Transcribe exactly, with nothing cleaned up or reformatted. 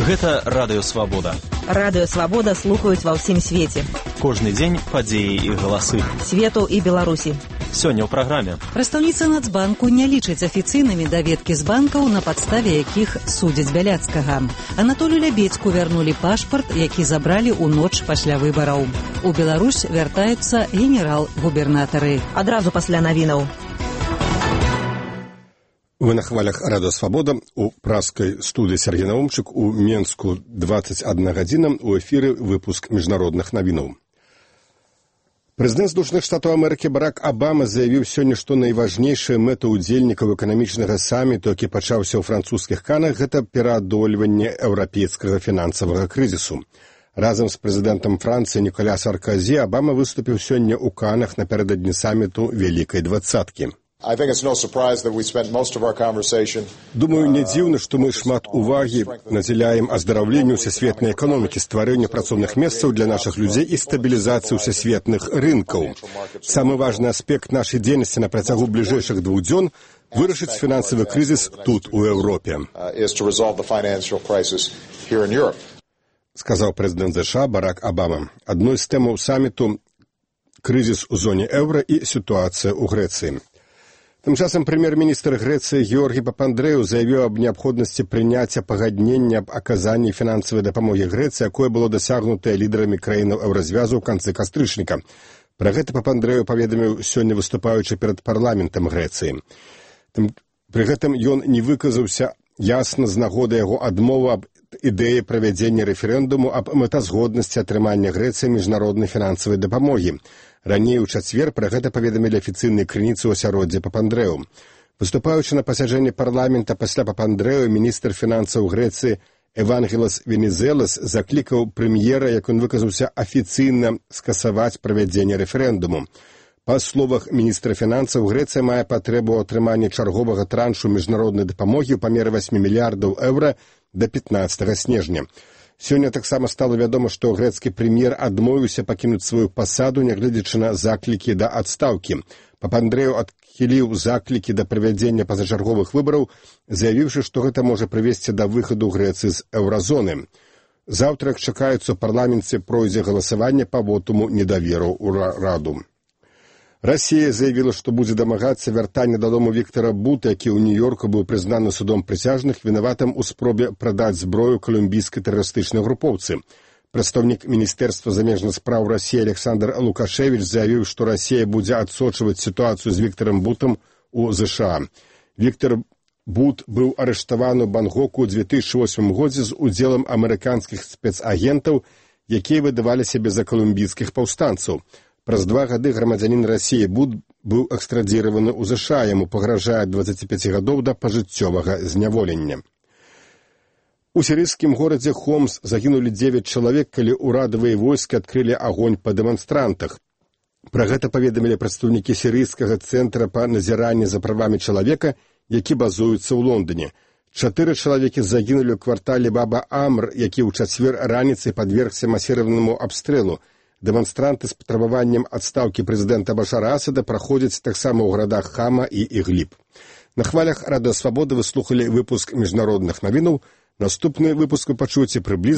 Гэта Радыё Свабода. Радыё Свабода слухаюць ва ўсім свеце. Кожны дзень падзеі і галасы. Свету і Беларусі. Сёння ў праграме. Прадстаўніца Нацбанку не лічыць афіцыйнымі даведкі з банкаў, на падставе якіх судзяць Бяляцкага. Анатолію Лябедзьку вярнулі пашпарт, які забралі ў ноч пасля выбараў. У Беларусь вяртаюцца генерал-губернатары. Адразу пасля навінаў. Вы на хвалях Радыё Свабода. У праскай студыі Сергей Наумчык, у Менску двадцать одна гадзіна, у эфіры выпуск міжнародных навінаў. Прэзідэнт Злучаных Штатаў Амерыкі Барак Абама заявіў сёння, што найважнейшая мэта ўдзельнікаў эканамічнага саміту, які пачаўся ў французскіх Канах, гэта пераадольванне еўрапейскага фінансавага крызісу. Разам з прэзідэнтам Францыі Ніколя Саркозі Абама выступіў сёння ў Канах напярэдадні саміту Вялікай двадцаткі. Думаю, не дзіўна, што мы шмат увагі надзяляем аздараўленню ўсесветнай эканомікі, стварэнню працоўных месцаў для нашых людзей і стабілізацыі ўсесветных рынкаў. Самы важны аспект нашай дзейнасці на працягу бліжэйшых двух дзён – вырашыць фінансавы крызіс тут, у Еўропе. Сказаў прэзідэнт ЗША Барак Абама. Адной з тэмаў саміту – крызіс у зоне еўра і сітуацыя ў Грэцыі. Тым часам прэм'ер-міністр Грэцыі Георгій Папандрэў заявіў аб неабходнасці прыняцця пагаднення аб аказанні фінансавай дапамогі Грэцыі, якое было дасягнутае лідарамі краінаў еўразвязу ў канцы кастрычніка. Пра гэта Папандрэў паведаміў сёння, выступаючы перад парламентам Грэцыі. Пры гэтым ён не выказаўся ясна з нагоды яго адмовы аб ідэі правядзення рэферэндуму аб мэтазгоднасці атрымання Грэцыі міжнароднай фінансавай дапамогі. Раней у чацвер пра гэта паведамілі афіцыйныя крыніцы ў асяроддзі Папандрэў. Выступаючы на пасяджэнні парламента пасля Папандрэў, міністр фінансаў Грэцыі Евангелос Венізелас заклікаў прэм'ера, як ён выказаўся, афіцыйна скасаваць правядзенне рэферэндуму. Па словах міністра фінансаў, Грэцыя мае патрэбу ў атрыманні чарговага траншу міжнароднай дапамогі ў памеры восьмі мільярдаў еўра да пятнаццатага снежня. Сёння таксама стала вядома, што грэцкі прэм'ер адмовіўся пакінуць сваю пасаду, нягледзячы на заклікі да адстаўкі. Папандрэў адхіліў заклікі да правядзення пазачарговых выбараў, заявіўшы, што гэта можа прывесці да выхаду Грэцыі з еўразоны. Заўтра, як чакаецца, у парламенце пройдзе галасаванне па вотуму недаверу ў Раду. Расія заявіла, што будзе дамагацца вяртання дадому Віктара Бута, які ў Нью-Йорку быў прызнаны судом прысяжных вінаватым у спробе прадаць зброю калумбійскай тэрарыстычнай групоўцы. Прадстаўнік Міністэрства замежных спраў Расіі Александр Лукашевіч заявіў, што Расія будзе адсочваць сітуацыю з Віктарам Бутам у ЗША. Віктар Бут быў арыштаваны ў Бангоку ў дзве тысячы восьмым годзе з удзелам амерыканскіх спецагентаў, якія выдавалі сябе за калумбійскіх паўстанцаў. Праз два гады грамадзянін Расіі Бут быў экстрадзіраваны ў ЗША, яму пагражае ад дваццаці пяці гадоў да пажыццёвага зняволення. У сірыйскім горадзе Хомс загінулі дзевяць чалавек, калі ўрадавыя войскі адкрылі агонь па дэманстрантах. Пра гэта паведамілі прадстаўнікі сірыйскага цэнтра па назіранні за правамі чалавека, які базуецца ў Лондоне. Чатыры чалавекі загінулі ў квартале Баба-Амр, які ў чацвер раніцай падвергся масіраванаму абстрэлу. Дэманстранты з патрабаваннем адстаўкі прэзідэнта Башара Асада праходзяць таксама ў гарадах Хама і Ігліб. На хвалях Радыё Свабода вы слухалі выпуск міжнародных навінаў. Наступны выпуск вы пачуеце прыблізна